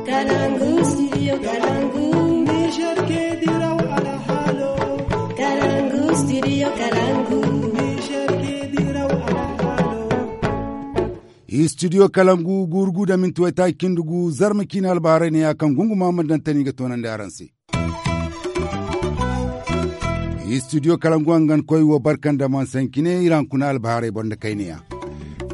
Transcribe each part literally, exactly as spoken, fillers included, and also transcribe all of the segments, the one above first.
Kalangu, studio Kalangu. Niger ke diraw alhalo. Kalangu, studio Kalangu. Niger ke diraw alhalo. Studio Kalangu, gurugu da minti waytaaci cindi gu, zarma ciine albaharay ne ya kaŋ gunguma ma daŋ tani ga toonandi araŋ se. Studio Kalangu hangan koy wo barkan da man sankine iri hankuna albaharay boŋ da kayne ya.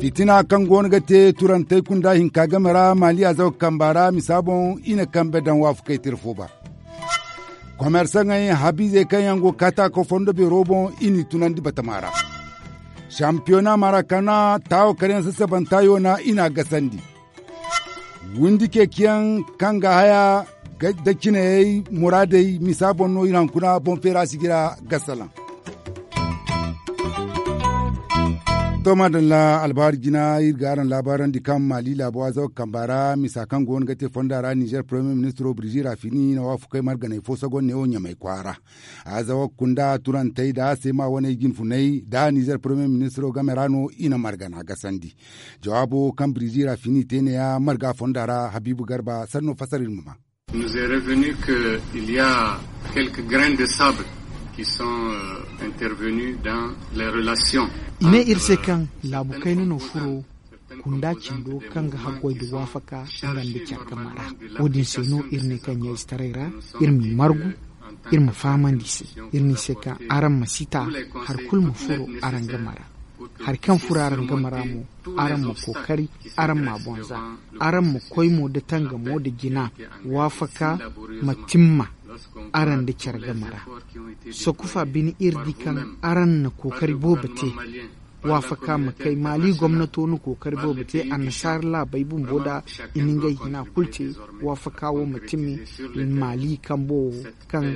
Fitina kaŋ goono ga te turantey kunda hinka game ra maali azawa kamba ra misa boŋ i na kambe daŋ waafakey tira fo ba. Komersaŋey habiizey kaŋ yaŋ go kaataako fondo beero boŋ i n'i tunandi batama ra. Sampiyona marakana taawo kar yaŋ sasabanta yoona i n'a gasandi. Windi ceeciyaŋ kaŋ ga haya da cinayey muraadey misa boŋ no iri hankuna boŋ feera sijira gasalaŋ. To madalla albahaari jina iri ga araŋ laabaarandi kaŋ maali laabo azawa kamba ra misa kaŋ goono ga te fonda ra nizer premier ministro birzi rafini na waafakey marganey fo sogonne wo ɲamay kwaara. Azawa kunda turantey da seema waney jinfunay da nizer premier ministro game ra no i na margana gasandi. Jawaabo kaŋ birzi rafini te ne ya marga fonda ra habiibu garba sanno fasar iri ma ma. Nous est revenu que il y a quelques grains de sable qui sont euh, intervenus dans les relations. I ne iri se kaŋ laabu kayna no furo kunda cindo kaŋ ga haggoy da waafaka nga nda care game ra. Wo- din se no iri ne kaŋ ɲayzetaray ra iri m'i margu, iri ma fahamandi i se. Iri ne i se kaŋ araŋ ma si ta hari kulu ma furo araŋ game ra. Hari kaŋ furo araŋ game ra mo, araŋ ma kookari araŋ m'a boŋ za. Araŋ ma koy mo da tangamo nda jina waafaka ma timma araŋ nda care game ra. Sokufa bine iri di kaŋ araŋ na kookari boobo te. Waafaka ma kay maali gomnato na kookari boobo te annasaara laabey bumbo nda i na ngey hina kulu te. Waafaka wo ma timi maali kambo wo kaŋ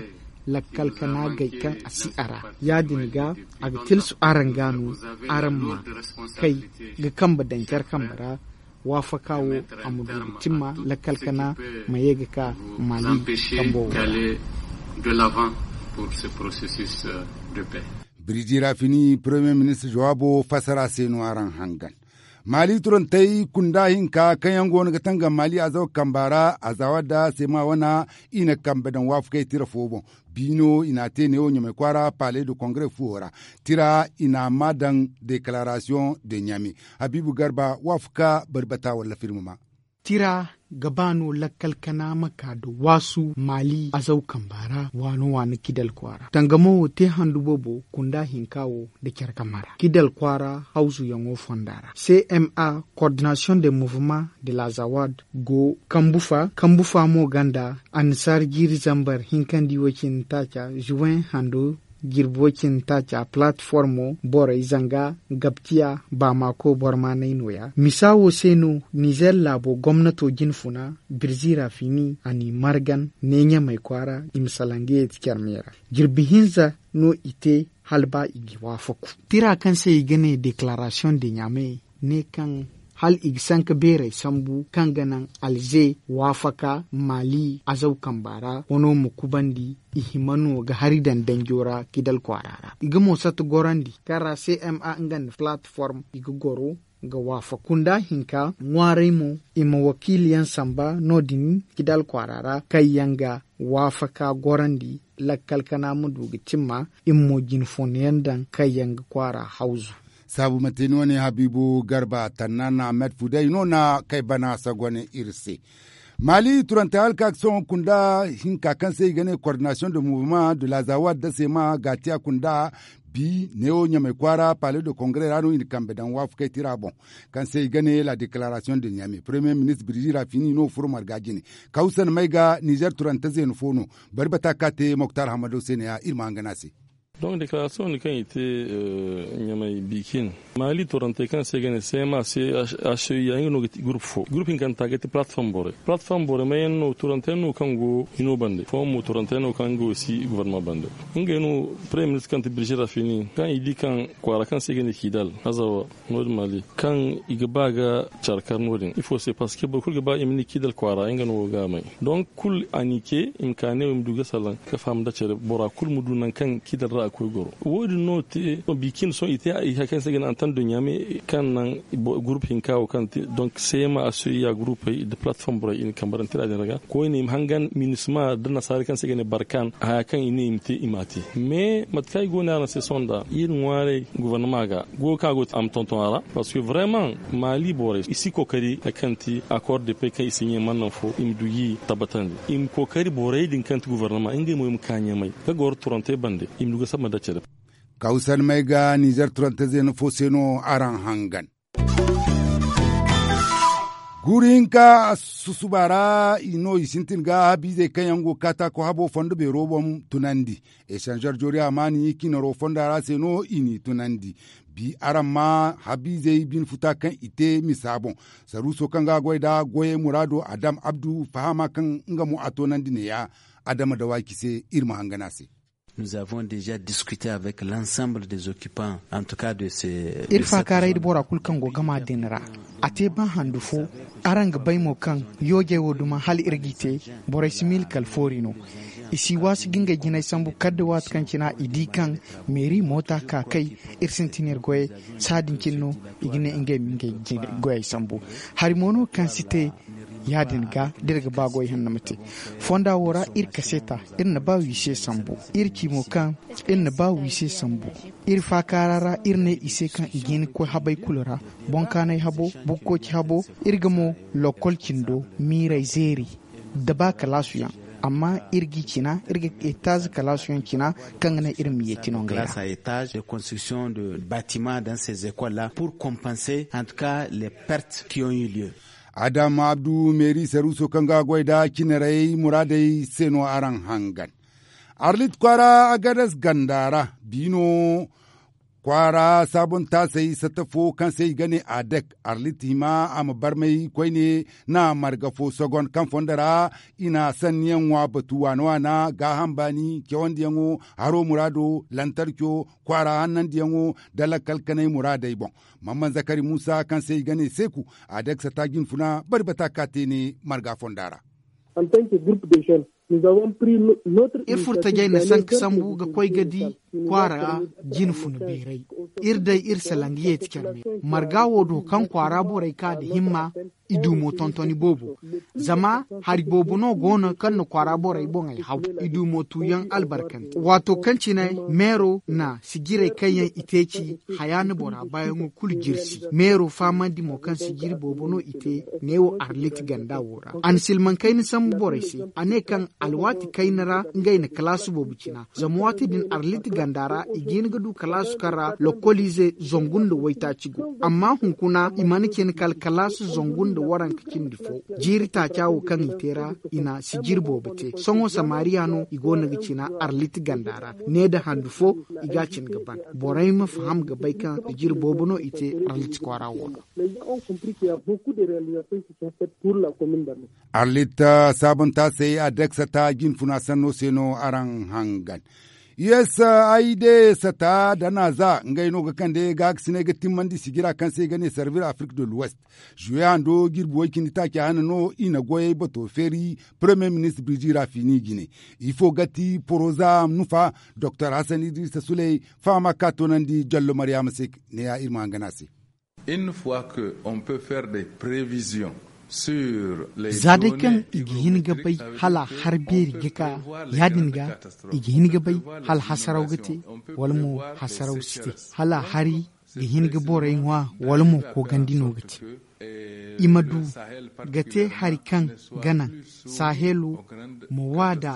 lakkal kana gay kaŋ a si a ra. Ya- din ga a ga tilsu araŋ ga no araŋ ma kay ga kambe daŋ care kambe ra. Waafaka wo a ma du ga timma lakkal kana ma ye ga ka maali kambo wo ra. Birji rafini premier ministre jawaabo fassara se no araŋ hangan. Maali turantey kunda hinka kaŋ yaŋ go no ga tangam maali azawa kamba ra azawa da sema wana i na kambe daŋ waafakey tira fo boŋ. Biino i n'a te neewo ɲamay kwaara palais de congrès fuwo ra. Tira i n'a maa daŋ déclaration de ɲame. Habiibu garba waafaka bari bata walla firma ma. Tira ga ba no lakkal kana ma ka da waasu maali azaw kamba ra waano waano kidal kwaara tangamo wo te handu boobo kunda hinka wo nda care game ra kidal kwaara hawzuyaŋo fonda ra cma coordination de mouvement de la zawad go kambu fa kambu fa mo ganda annasaara jiiri zambar hinkandi way cindi taaca juwen hando jirbi way cindi taaca palatformo borey zanga gabtiya baamaako bormaanay nooya misa wo se no nizer laabo gomnato jinfuna birzi rafini a n'i margan neeɲamey kwaara i ma salaŋ ga yeeti care me ra. Jirbi hinza no i te hala ba i ga waafaku. Tira kaŋ se i ga ne deklaarasiyoŋ de ɲaame ne kaŋ hala i ga sanka beerey sambu kaŋ ga naŋ alze waafaka maali azaw kamba ra wano ma kubandi i hima no ga hari daŋ danjo ra kidal kwaara ra i ga mo satta gorandi kaŋ ra cma nga nda palatform i ga goro ga waafaka kunda hinka ŋwaaray mo i ma wakiiliyaŋ samba no- din kidal kwaara ra kaŋ yaŋ ga waafaka gorandi lakkal kana ma du ga cimma i ma mo jinfooyaŋ daŋ kaŋ yaŋ ga kwaara hawzu. Saabu manti ni wane habiibu garba tannan ahmed fuday no na kay bana sagone iri se. Maali turantey halka ga sohõ kunda hinka kaŋ se i ga ne coordination de mouvement de la zawad da sema gaatiya kunda bi neewo ɲamay kwaara palais de congrès ra no i na kambe daŋ waafakey tira boŋ kaŋ se i ga ne la déclaration de ɲame premier ministre birji rafini no furo marga jine. Kawsan may ga nizer turante zeena fo no. Bari bata ka te moktar hamado se ne ya iri ma hangan a se. Donc déclaration din kaŋ i te ɲamay bikin maali torantey kaŋ se ga ne cma c h i a nga no ga ti groupe fo groupe hinkanta ga ti plateforme borey plateforme borey mayaŋ no torantey no kaŋ go hino bande fooyaŋ mo torantey no kaŋ go si gouvernement bande. Ngey no premier ministre kaŋ ti birjira fini kaŋ i di kaŋ kwaara kaŋ se ga ne kidal azawa no- din maali kaŋ i ga ba ga care kar no- din ifo se parce que boro kulu ga ba i ma ni kidal kwaara nga no go ga may donc kulu a n'i ce i ma ka ne wo i ma du ga salaŋ ga faham nda care bora kulu ma du nangu kaŋ kidal ra. Wo- din no te bikin sohõ i te hari kaŋ se ga ne antan duɲɲa me kaŋ naŋ gurup hinka wo kaŋ te donk seema a soyya gurupey nda palatform borey i na kambarante ra din ra ga koyne i ma hangan minisma nda nasaara kaŋ se ga ne barkan haya kaŋ i ne i ma te i m'a te. Mais mate kaŋ ay go no araŋ se sohõ nda iri ŋwaaray gobornama ga goyo kaŋ a go te a ma tonton a ra. Parceque vraiman maali borey i si kookari hari kaŋ ti akor de pey kaŋ i si ɲaŋ mana naŋ fo i ma du ga i tabbatandi i ma kookari borey din kaŋ ti gobornama ngey mo i ma ka ɲamay ga goro turantey bande i ma du ga samba nda care. Kawsar may ga nizer turante zeena fo se no araŋ hangan. Guuru hinka susuba ra i no i sintin ga habiizey kaŋ yaŋ go kaataako habo fondo beero boŋ tunandi. Esanzor joori amaani cinaro fonda ra se no i n'i tunandi. Bi araŋ ma habiizey bine futa kaŋ i te misa boŋ. Saruuso kaŋ ga a goy nd'a goyey muraado adam abdu fahama kaŋ nga mo a toonandi neeya. Adama dawaaki se iri ma hangan a se. Nous avons déjà discuté avec l'ensemble des occupants en tout cas de ces. Iri faakaaray nda bora kulu kaŋ go gama din ra. A te ba handu fo. Araŋ ga bay mo kaŋ yoojey wo duma hala iri g'i te. Borey si miila kala foori no. I si waasu ga ngey jinay sambu kala da waati kaŋ cina i di kaŋ meeri moota ka kay. Iri sintin iri goyey. Sahã din cine no i ga ne ngey ma ngey goyey sambu. Hari mo no kaŋ si te ya- din ga da iri ga ba goy hanno ma te. Fonda wo ra iri kaseeta iri na ba wiise sambu. Iri ci mo kaŋ iri na ba wiise sambu. Iri faakaara ra iri ne i se kaŋ i ga hin ga koy habey kulu ra. Boŋ kaanay habo, bukkoci habo. Iri ga mo lokkol cindo miirey zeeri. Da ba kalaasu yaŋ. Amma iri g'i cina iri ga etaaze kalaasu yaŋ cina kaŋ ga naŋ iri ma yeeti no ngey ra. Kalaasu a etaaze de konstriksion de batima dans ces écoles la pour kompanse en tout cas les pertes ki ont eu lieu. Adam abdu meeri saruuso kaŋ ga a goy nd'a cinarey muraadey se no araŋ hangan. Arlit kwaara agadas ganda ra biino kwaara saabuntaasey satta fo kaŋ se i ga ne adek arlit hima a ma barmay koyne na marga fo sogon kaŋ fondo ra. I na sanniyaŋ ŋwa batu waana waana gaaham baani cawandiyaŋo haro muraado lantarco kwaara hannandiyaŋo da lakkal kanay muraadey boŋ. Mamman zakari muusa kaŋ se i ga ne seeku adek satta jinfuna bari bata ka te ne marga fonda ra. Iri furtajey na sanka sambu ga koy ga di kwaara jine funa beeray. Iri day iri salaŋ ga yeeti care me marga wo do kaŋ kwaara borey ka nda himma. I du mo tontoni boobo zama hari boobo no go no kaŋ na kwaara borey boŋey haw. I du mo tuuyaŋ albarkante waato kaŋ cine meero na sijirey kaŋ yaŋ i te ci hayaana bora baayaŋo kulu jirsi meero fahamandi mo kaŋ sijiri boobo no i te neewo arlit ganda wo ra. A na silmaŋ kayna sambu borey se a ne kaŋ alwaati kayna ra ngey na kalaasi boobo cina zama waati din arlit ganda ra i ga hin ga du kalaasi kaŋ ra lokkoliize zangu nda waytaaci go amma hunkuna i mana cine kala kalaasi zangu nda waranka cindi fo. Jiiri taaca wo kaŋ i te ra i na sijiri boobo te sohõ samariya no i go no ga cina arlit ganda ra ne nda handu fo. I ga a cine ga ban borey ma faham ga bay kaŋ sijiri boobo no i te arlit kwaara wo do. Arlit saabuntaasey adek satta jinfuna sanno se no araŋ hangan. Usaid satta dana za ngey no ga kande gaakasiney ga timmandi sijira kaŋ se i ga ne servir afrik de l'ouest. Juwe hando jirbi way cindi taaci hane no i na goyey bato feeri. Premier ministre birji rafini jine ifo ga ti poroza nufa. Doktor hassan idrisa suley fahama ka toonandi jallo maryaama se. Neeya iri ma hangan a se. Za day kaŋ i ga hin ga bay hala har beeri ga ka ya- din ga i ga hin ga bay hala hasaraw ga te wala mo hasaraw si te hala hari ga hin ga borey ŋwa wala mo koogandi no ga te. I ma du ga te hari kaŋ ga naŋ sahelo ma waada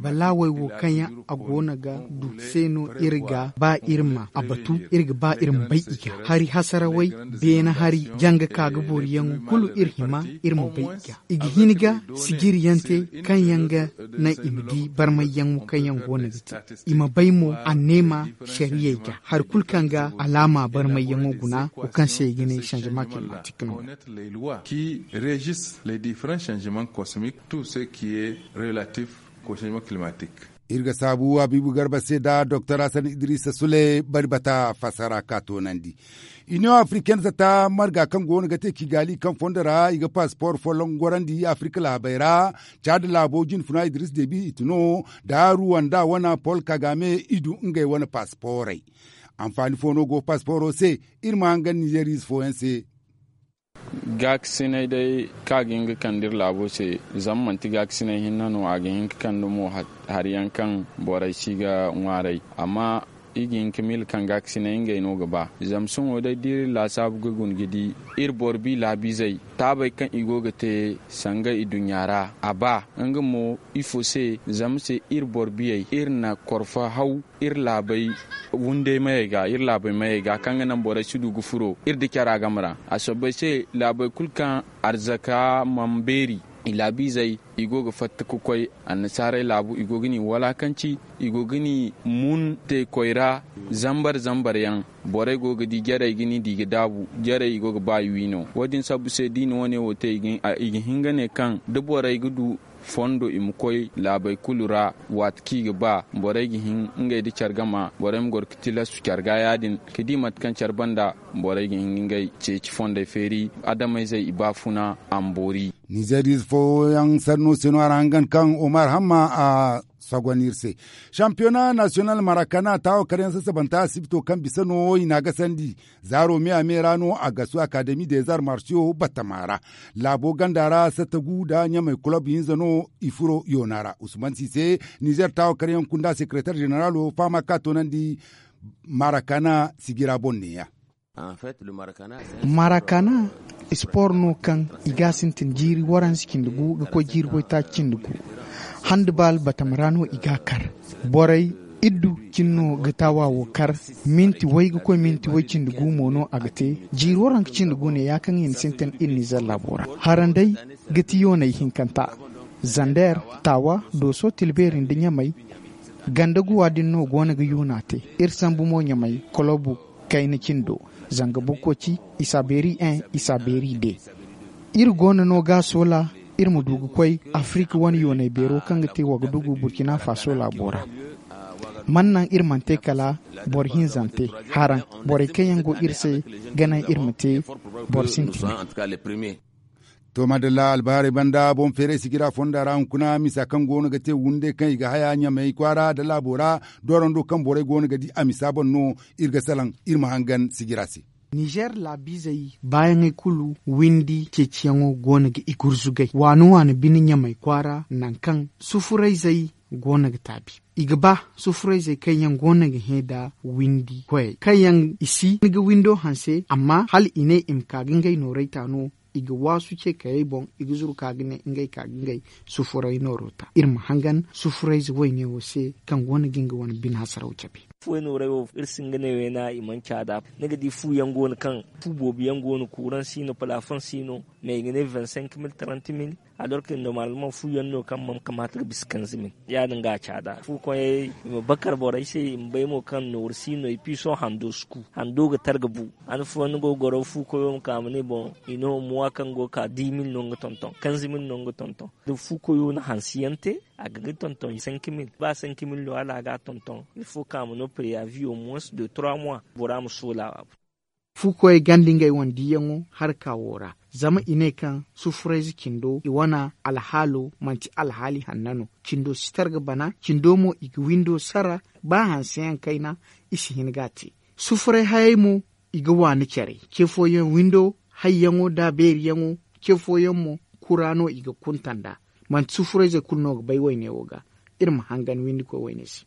balaawey wo kaŋ yaŋ a go no ga du se no iri ga ba iri ma a batu iri ga ba iri ma bay i ga hari hasarawey beene hari janga ka ga booriyaŋo kulu iri hima iri ma bay i ga i ga hin ga sijiriyaŋ te kaŋ yaŋ ga naŋ i ma di barmayyaŋo kaŋ yaŋ go no ga te. I ma bay mo anneema sariyey ga hari kulu kaŋ ga alaama barmayyaŋo guna wo kaŋ se i ga ne sanzama climatik no. Qui régissent les différents changements cosmiques tout ce qui est relatif au changement climatique. Iri ga saabu Habiibu Garba se nda Doktor Hasan Idrisa Sule bari bata fassara ka toonandi. Iniyoŋ Afriken zata marga kaŋ go no ga te Kigali kaŋ fondo ra i ga pasipor folloŋ gorandi Afirika laabey ra. Caada laabo jinfuna Idris Debi i tun no nda Ruwanda wane Pol Kagame i du ngey wane pasiporey. Anfaani fo no go pasiporo se? Iri ma hangan Nizeeriize fooyaŋ se. Gaakasinay day kaŋ a ga hin ga kande iri laabo se, zama manti gaakasinay hinne no a ga hin ga kande mo hari yaŋ kaŋ borey si ga ŋwaaray. Amma i ga hin ga miila kaŋ gaakasinay ngey no ga ba. Zama sohõ day da iri laasaabu ga guna ga di iri boro bi laabiizey taabey kaŋ i go ga te sanga iduɲɲa ra a ba. Nga mo ifo se? Zama se iri boro biyey iri na korfa haw iri laabey wunday mayey ga iri laabey mayey ga kaŋ ga naŋ borey si du ga furo iri da cara game ra. A soobay se laabey kulu kaŋ arzaka mana beeri i laabiizey i go ga fatta ga koy annasaarey laabu i go ga ni walaakanci i go ga ni mun teekoy ra. Zambar zambar yaŋ borey go ga di jarey ga ni di ga daabu jarey i go ga ba i wi no wo- din sabbu se da i na wane wo te i ga hin ga ne kaŋ da borey ga du fondo i ma koy laabey kulu ra. Waati kaŋ i ga ba borey ga hin ngey nda care game borey ma goro ga tilastu care ga ya- din ga di mate kaŋ care banda borey ga hin ga ngey ceeci fondey feeri adamayzey i baafuna a ma boori. Nizeeriize fooyaŋ sanno se no a ra hangan kaŋ omar hamma a sogon iri se. Sampiyona nasiyonal marakana taawo karyaŋ sasabanta asibito kaŋ bisa no i n'a gasandi zaaro me a me ra no a gasu akademi des arts martiaux batama ra. Laabo ganda ra satta gu nda ɲamey kulob hinza no i furo yoona ra usman si se. Nizer taawo karyaŋ kunda sekeretar zeneralo fahama ka toonandi marakana sijira boŋ neeya. Marakana spor no kaŋ i ga a sintin jiiri waransi cindi gu ga koy jiiri koy taaci cindi gu. Handbal batama ra no i ga a kar. Borey iddu cine no ga taawa wo kar. Minti way ga koy minti way cindi gu mo no a ga te. Jiiri waranka cindi gu ne ya kaŋ i na sintin iri nizer laabo ra. Haranday ga ti yooney hinkanta. Zander, taawa, dooso tilbeeri nda ɲamey. Ganda guwa din no go no ga yuuna te. Iri sambu mo ɲamey kolobu kayna cindo. Zanga bukkoci, i s'a beeri en, i s'a beeri de. Iri go no no ga a soola iri ma du ga koy afirika wane yoonay beero kaŋ ga te wagadugu burkina faso laabo ra. Man naŋ iri mana te kala boro hinzante haraŋ. Borey kaŋ yaŋ go iri se ga naŋ iri ma te boro sintina. To madalla albahaarey banda boŋ feeray sijira fonda ra hunkuna misa kaŋ go no ga te wunde kaŋ i ga haya ɲamey kwaara nda laabo ra. Doorando kaŋ borey go no ga di a misa boŋ no. Iri ga salaŋ iri ma hangan sijira se. Nizer laabiizey baayaŋey kulu windi ceeciyaŋo go no ga i gurzugay waani waani bine ɲamey kwaara nangu kaŋ sufurayzey go no ga taabi. I ga ba sufurayzey kaŋ yaŋ go no ga hẽ nda windi koyey kaŋ yaŋ i si ga windo hanse amma hala i ne i ma ka ga ngey nooray ta no. I ga waasu ce kayey boŋ i ga zuru ka ga ne ngey ka ga ngey sufuray nooro ta iri ma hangan sufurayze wayne wo se kaŋ go no ga nga wane bine hasaraw cabe. Fuway nooray wo iri si hin ga ne wayna i mana caada ni ga di fu yaŋ go no kaŋ fu boobo yaŋ go no kuuraŋ si no palafoŋ si no. Mais i ga ne vingt cinq mille trente mille. Alorke normalement fu yaŋ no kaŋ mana kamaata ga bisa kanze mille ya- din ga a caada fu koyey i ma bakar borey se i ma bay mo kaŋ nooru si no i piiso hando si ku hando ga tara ga bu. Hane fooyaŋ ni go ga goro fu koyo ma ka ma ne boŋ i no muwa kaŋ go ga ka dix mille no nga tonton kanze mille no nga tonton. Da fu koyo na hansi yaŋ te a ga ga tonton cinq mille ba cinq mille no hala a ga a tonton il faut ka ma no preyavi au moins de trois mois bora ma soola a. Fu koyey ganda ngey wane diiyaŋo harka wo ra zama i ne kaŋ sufurayze cindo i wane alhaalo manti alhaali hanna no. Cindo si tar ga bana cindo mo i ga windo sara ba hanseyaŋ kayna i si hin ga a te. Sufuray hayey mo i ga waani care ce fooyaŋ windo hayyaŋo da beeriyaŋo ce fooyaŋ mo kura no i ga kunta nd'a. Manti sufurayzey kulu no ga bay wayne wo ga iri ma hangan windikoy wayne se.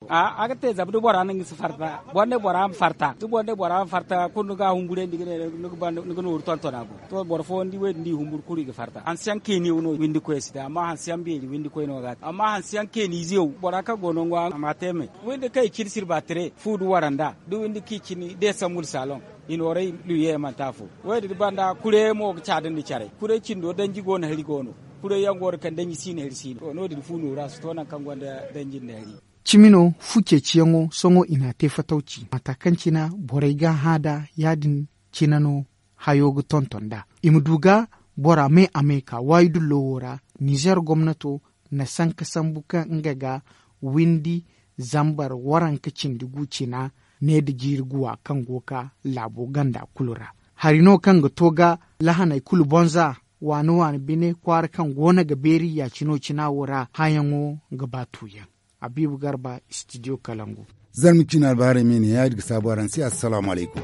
A ga te zama da bora no nga si farta boro ne bora ma farta da boro ne bora ma farta kulu ni ga a humburandi ga ne ni ga nooru tontona boŋ. To boro fooyaŋ di wo- din da i humburu kulu i ga farta hanse yaŋ keeni wo no windikoy si te amma hanse yaŋ beeri windikoy no ga a te amma hanse yaŋ keeni ize wo bora kaŋ go no nga a ma te me. Windi kaŋ i cine sirba tire fu da waranda da windi kaŋ i cine desamul saloŋ i nooray luye mana te afo. Wo- din banda kuray mo ga caadandi caray kuray cindo danji go no hari go no. Kuray yaŋ go no kaŋ danji si no hari si no to no- din fu nooru a si to nangu kaŋ gonda danji nda hari. Cimi no fu ceeciyaŋo sohõ i n'a te fatawci mata kaŋ cina borey ga hã nd'a ya- din cina no hayo ga tonton nd'a. I ma du ga bora me a me ka waayi dullo wo ra nizer gomnato na sanka sambu kaŋ nga ga windi zambar waranka cindi gu cina ne nda jiiri guwa kaŋ go ga ka laabo ganda kulu ra. Hari no kaŋ ga to ga lahaney kulu boŋ za waani waani bine kwaara kaŋ go no ga beeri ya- cino cina wo ra hayaŋo ga ba tuuyaŋ. Abiibu garba, studio kalangu. Zarma ciina albaharay me ne ya- din ga saabu araŋ se assalaamu alaykum.